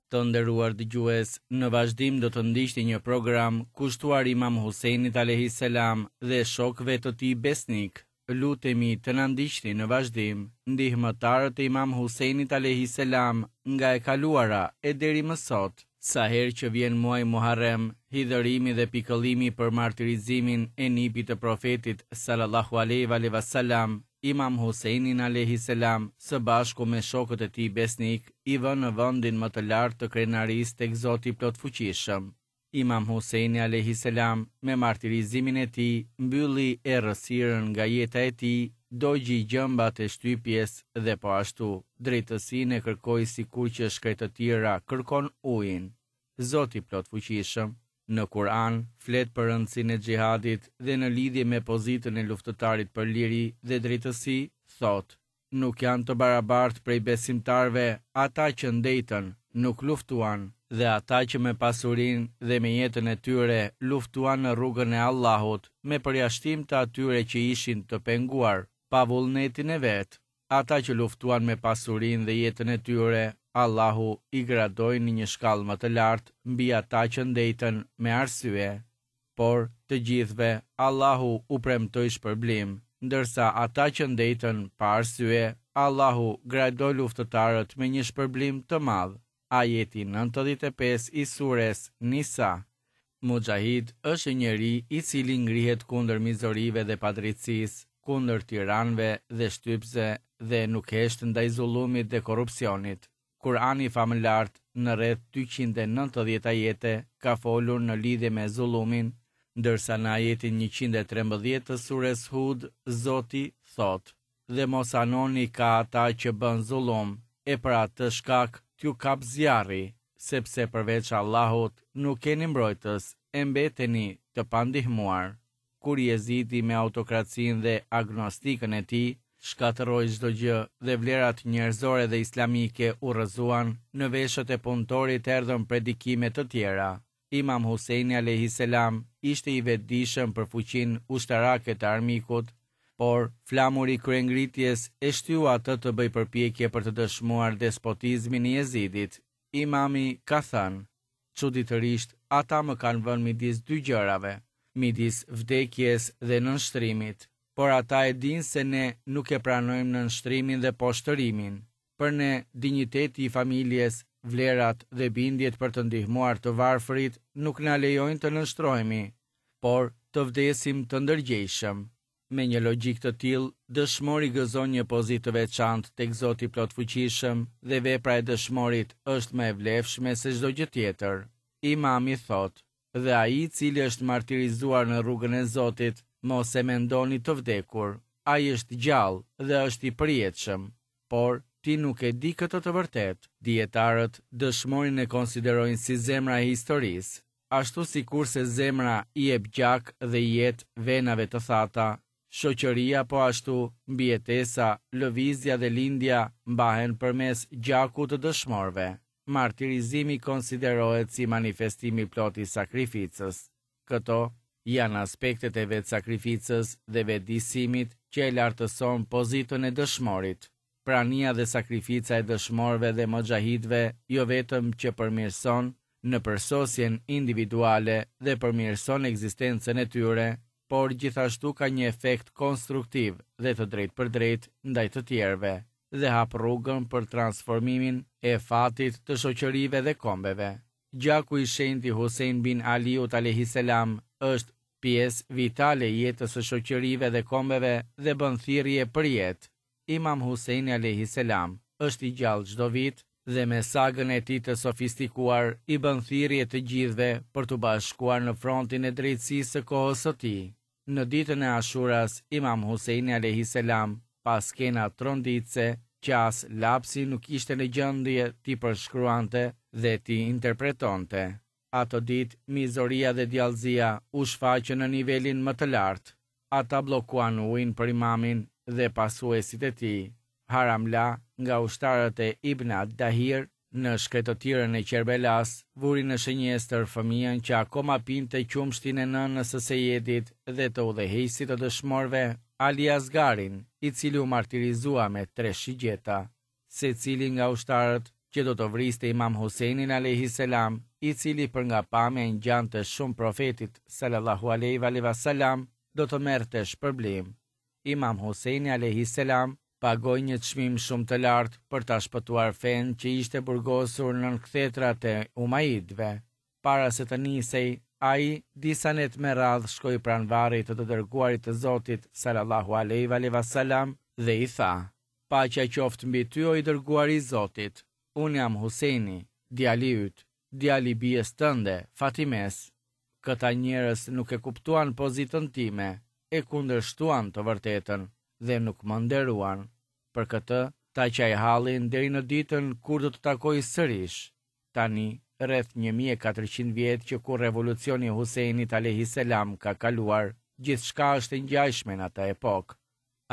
Të nderuar dëgjues, në vazhdim do të ndiqni një program kushtuar Imam Husejnit alejhi selam dhe shokëve të tij besnikë. Lutemi të na ndiqni në vazhdim, ndihmëtarët e Imam Husejnit alejhi selam nga e kaluara e deri më sot. Sa herë që vjen muaji Muharrem, hidhërimi dhe pikëllimi për martirizimin e nipit të Profetit sallallahu alejhi ve selam Imam Husejnin alejhi selam së bashku me shokët e tij besnikë i vë në vendin më të lartë të krenarisë tek Zoti i Plotfuqishëm. Imam Husejni alejhi selam me martirizimin e tij mbylli errësirën nga jeta e tij, dogji gjembat e shtypjes dhe po ashtu drejtësinë e kërkoi sikur që shkretëtira kërkon ujin. Zoti i Plotfuqishëm, në Kur'an flet për rëndësinë e xhihadit dhe në lidhje me pozitën e luftëtarit për liri dhe drejtësi, thotë, Nuk janë të barabartë prej besimtarëve ata që ndejtën, nuk luftuan, dhe ata që me pasurinë dhe me jetën e tyre luftuan në rrugën e Allahut, me përjashtim të atyre që ishin të penguar, pa vullnetin e vet. Ata që luftuan me pasurinë dhe jetën e tyre, Allahu i gradoi në një shkallë më të lartë mbi ata që ndejtën me arsye. Por, të gjithëve, Allahu u premtoi shpërblim, ndërsa ata që ndejtën pa arsye, Allahu gradoi luftëtarët me një shpërblim të madh. Ajeti 95 i sures Nisa. Muxhahid është një njeri i cili ngrihet kundër mizorive dhe padrejtësisë, kundër tiranëve dhe shtypësve dhe nuk hesht ndaj zullumit dhe korrupsionit. Kur'ani famëlartë në rreth 290 ajete ka folur në lidhje me zullumin, ndërsa në ajetin 113 të sures Hud, Zoti thotë: Dhe mos anoni ka ata që bënë zullum, e për atë shkak t'ju kapë zjarri, sepse përveç Allahut nuk keni mbrojtës e mbeteni të pandihmuar. Kur Jezidi me autokracinë dhe agnostikën e tij shkatërroi çdo gjë dhe vlerat njerëzore dhe islamike u rrëzuan, në veshët e punëtorit erdhën predikime të tjera. Imam Husejni alejhi selam ishte i vetëdijshëm për fuqinë ushtarake të armikut, por flamuri i kryengritjes e shtyu atë të bëjë përpjekje për të dëshmuar despotizmin e Jezidit. Imami ka thënë, Çuditërisht, ata më kanë vënë midis dy gjërave, midis vdekjes dhe nënshtrimit, por ata e dinë se ne nuk e pranojmë nënshtrimin dhe poshtërimin. Për ne, dinjiteti i familjes, vlerat dhe bindjet për të ndihmuar të varfërit nuk na lejojnë të nënshtrohemi, por të vdesim të ndërgjegjshëm. Me një logjikë të tillë, dëshmori gëzon një pozitë të veçantë tek Zoti i Plotfuqishëm dhe vepra e dëshmorit është më e vlefshme se çdo gjë tjetër. Imami thotë, Dhe ai i cili është martirizuar në rrugën e Zotit, mos e mendoni të vdekur, ai është gjallë dhe është i përjetshëm. Por, ti nuk e di këtë të vërtetë. Dijetarët dëshmorin e konsiderojnë si zemra e historisë. Ashtu sikurse zemra i jep gjak dhe jetë venave të thata, shoqëria po ashtu, mbijetesa, lëvizja dhe lindja mbahen përmes gjakut të dëshmorëve. Martirizimi konsiderohet si manifestim i plotë i sakrificës. Këto janë aspektet e vetësakrificës dhe vetëdijësimit që e lartëson pozitën e dëshmorit. Prania dhe sakrifica e dëshmorëve dhe muxhahidëve jo vetëm që përmirëson në përsosjen individuale dhe përmirëson ekzistencën e tyre, por gjithashtu ka një efekt konstruktiv dhe të drejtpërdrejtë ndaj të tjerëve dhe hap rrugën për transformimin e fatit të shoqërive dhe kombeve. Gjaku i shenjtë i Husein bin Aliut alejhi selam është pjesë vitale e jetës së shoqërive dhe kombeve dhe bën thirrje për jetë. Imam Huseini alejhi selam është i gjallë çdo vit dhe me sagën e tij të sofistikuar i bën thirrje të gjithëve për t'u bashkuar në frontin e drejtësisë së kohës së tij. Në ditën e Ashuras, Imam Huseini alejhi selam pa skena tronditëse që as lapsi nuk ishte në gjendje t'i përshkruante dhe t'i interpretonte. Atë ditë, mizoria dhe djallëzia u shfaqën në nivelin më të lartë. Ata bllokuan ujin për imamin dhe pasuesit e tij. Haramla, nga ushtarët e Ibn ad-Dahir, në shkretëtirën e Qerbelas, vuri në shënjestër fëmijën që akoma pinte qumështin e nënës së Sejedit dhe të udhëheqësit të dëshmorëve, Ali Asgarin, i cili u martirizua me tre shigjeta. Secili nga ushtarët. që do të vriste Imam Husejnin alejhi selam, i cili për nga pamja i ngjante shumë Profetit sallallahu alejhi ve selam, do të merrte shpërblim. Imam Husejni alejhi selam pagoi një çmim shumë të lartë për ta shpëtuar fenë që ishte burgosur nën kthetrat e Umajidëve. Para se të nisej, ai, disa net me radhë shkoi pranë varrit të të Dërguarit të Zotit, salallahu alejhi ve alejhi ve selam, dhe i tha, Paqja qoftë mbi ty o i Dërguari i Zotit, unë jam Husejni, djali yt, djali i bijës tënde, Fatimes. Këta njerëz nuk e kuptuan pozitën time, e kundërshtuan të vërtetën dhe nuk më nderuan. Për këtë, ta qaj hallin deri në ditën kur do të takoj sërish. Tani, rreth 1400 vjet që kur revolucioni i Husejnit alejhi selam ka kaluar, gjithçka është e ngjashme në atë epokë.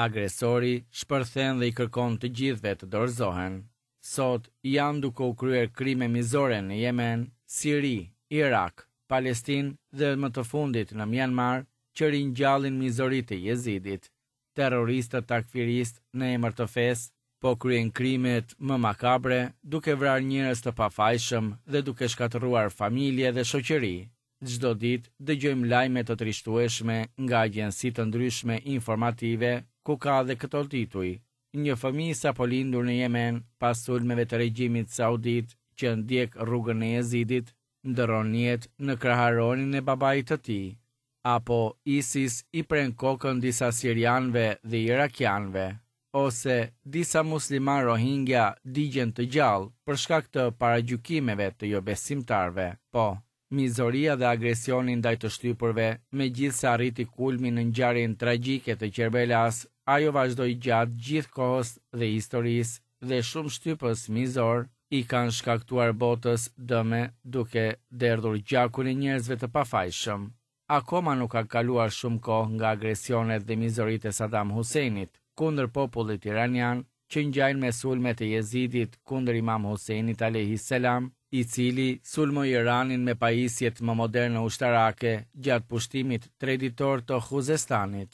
Agresori shpërthen dhe i kërkon të gjithëve të dorëzohen. Sot janë duke u kryer krime mizore në Jemen, Siri, Irak, Palestinë dhe më të fundit në Mianmar që ringjallin mizoritë e Jezidit. Terroristët takfiristë në emër të fesë po kryejnë krimet më makabre duke vrarë njerëz të pafajshëm dhe duke shkatërruar familje dhe shoqëri. Çdo ditë dëgjojmë lajme të trishtueshme nga agjenci të ndryshme informative ku ka dhe këto tituj, Një fëmijë i sapolindur në Jemen pas sulmeve të regjimit saudit që ndjek rrugën e Jezidit, ndërron jetë në kraharorin e babait të tij. Apo ISIS i pren kokën disa sirianëve dhe irakianëve. Ose disa muslimanë Rohingya digjen të gjallë për shkak të paragjykimeve të jobesimtarëve. Po, Mizoria dhe agresioni ndaj të shtypurve, megjithëse arriti kulmin në ngjarjen tragjike të Qerbelasë, ajo vazhdoi gjatë gjithë kohës dhe historisë dhe shumë shtypës mizorë i kanë shkaktuar botës dëme duke derdhur gjakun e njerëzve të pafajshëm. Akoma nuk ka kaluar shumë kohë nga agresionet dhe mizoritë e Saddam Husseinit kundër popullit iranian, që ngjajnë me sulmet e Jezidit kundër Imam Husejnit alejhi selam, i cili sulmoi Iranin me pajisjet më moderne ushtarake gjatë pushtimit treditor të Khuzestanit.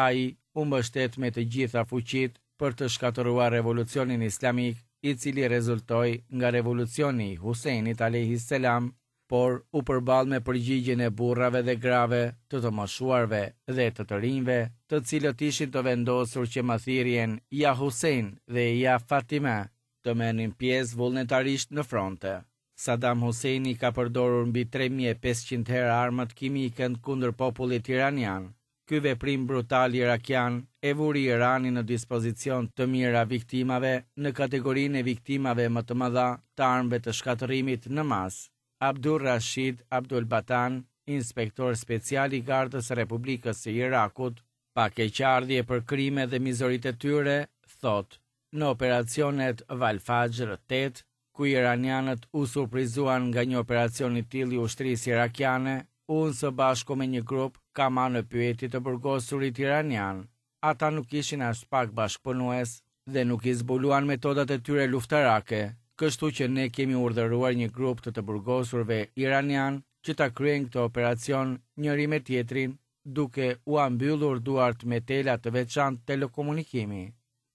Ai u mbështet me të gjitha fuqitë për të shkatërruar revolucionin islamik, i cili rezultoi nga revolucioni i Husejnit alejhi selam, por u përball me përgjigjen e burrave dhe grave, të të moshuarve dhe të të rinjve, të cilët ishin të vendosur që me thirrjen Ja Husejn dhe Ja Fatime të merrnin pjesë vullnetarisht në fronte. Saddam Husseini ka përdorur mbi 3500 herë armët kimike kundër popullit iranian. Ky veprim brutal irakian e vuri Iranin në dispozicion të mijëra viktimave në kategorinë e viktimave më të mëdha të armëve të shkatërrimit në masë. Abdul Rashid Abdul Batan, inspektor special i Gardës së Republikës së Irakut, pa keqardhje për krimet dhe mizoritë e tyre, thotë, në operacionet Valfajr 8, ku iranianët u surprizuan nga një operacion i tillë i ushtrisë irakiane, unë së bashku me një grup kam marrë në pyetje të burgosurit iranianë. Ata nuk ishin aspak bashkëpunues dhe nuk i zbuluan metodat e tyre luftarake, kështu që ne kemi urdhëruar një grup të të burgosurve iranianë që ta kryejnë këtë operacion njëri me tjetrin, duke ua mbyllur duart me tela të veçantë telekomunikimi.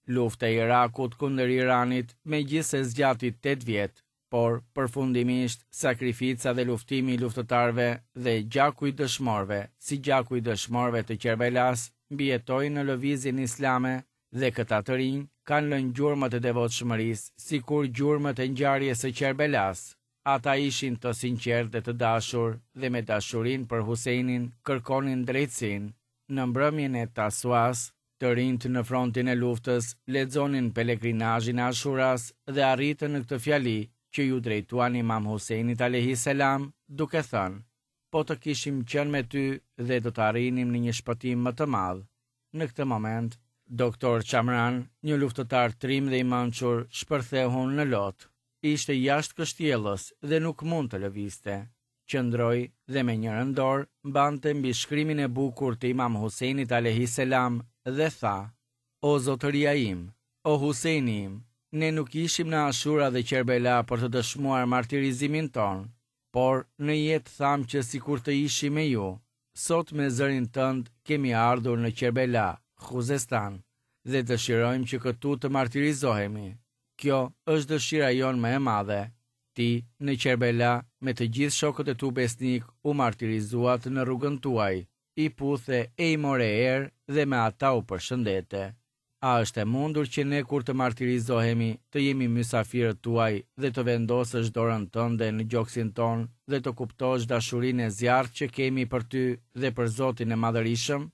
Lufta e Irakut kundër Iranit, megjithëse zgjati 8 vjet, por përfundimisht sakrifica dhe luftimi i luftëtarëve dhe gjaku i dëshmorëve, si gjaku i dëshmorëve të Qerbelasë, mbijetoi në lëvizjen islame dhe këta të rinj kanë lënë gjurmët e devotshmërisë, sikur gjurmët e ngjarjes së Qerbelasë. Ata ishin të sinqertë dhe të dashur dhe me dashurinë për Husejnin kërkonin drejtësinë. Në mbrëmjen e Tasuas, Të rinjtë në frontin e luftës lexonin pelegrinazhin e Ashuras dhe arritën në këtë fjali që iu drejtuan Imam Husejnit alejhi selam duke thënë, Po të kishim qenë me ty dhe do të arrinim në një shpëtim më të madh. Në këtë moment, Doktor Qamran, një luftëtar trim dhe i mençur, shpërtheu në lot. Ishte jashtë kështjellës dhe nuk mund të lëvizte. Qëndroi dhe me njërën dorë mbante mbishkrimin e bukur të Imam Husejnit alejhi selam dhe tha, O zotëria im, o Husejni im, ne nuk ishim në Ashura dhe Qerbela për të dëshmuar martirizimin tonë, por në jetë thamë që sikur të ishim me ju, sot me zërin tënd kemi ardhur në Qerbela, Khuzestan, dhe dëshirojmë që këtu të martirizohemi. Kjo është dëshira jonë më e madhe. Ti, në Qerbela, me të gjithë shokët e tu besnikë u martirizuat në rrugën tuaj, i puthe e i more erë dhe me ata u përshëndete. A është e mundur që ne kur të martirizohemi të jemi mysafirët tuaj dhe të vendosësh dorën tënde në gjoksin tonë dhe të kuptosh dashurinë e zjarrtë që kemi për ty dhe për Zotin e Madhërishëm?